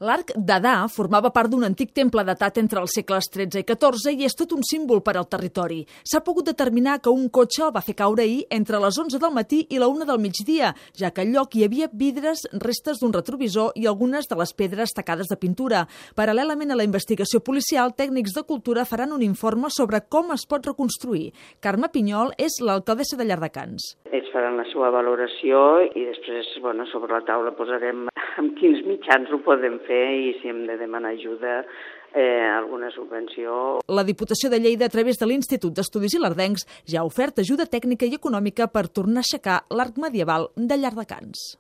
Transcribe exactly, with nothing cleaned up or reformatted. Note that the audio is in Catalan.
L'arc d'Adà formava part d'un antic temple datat entre els segles tretze i catorze i és tot un símbol per al territori. S'ha pogut determinar que un cotxe el va fer caure ahir entre les onze del matí i la una del migdia, ja que al lloc hi havia vidres, restes d'un retrovisor i algunes de les pedres tacades de pintura. Paral·lelament a la investigació policial, tècnics de cultura faran un informe sobre com es pot reconstruir. Carme Pinyol és l'alcaldessa de Llardecans. Ells faran la seva valoració i després, bueno, sobre la taula posarem amb quins mitjans ho podem fer i si hem de demanar ajuda, eh, alguna subvenció. La Diputació de Lleida, a través de l'Institut d'Estudis Ilerdencs, ja ha ofert ajuda tècnica i econòmica per tornar a aixecar l'arc medieval de Llardecans.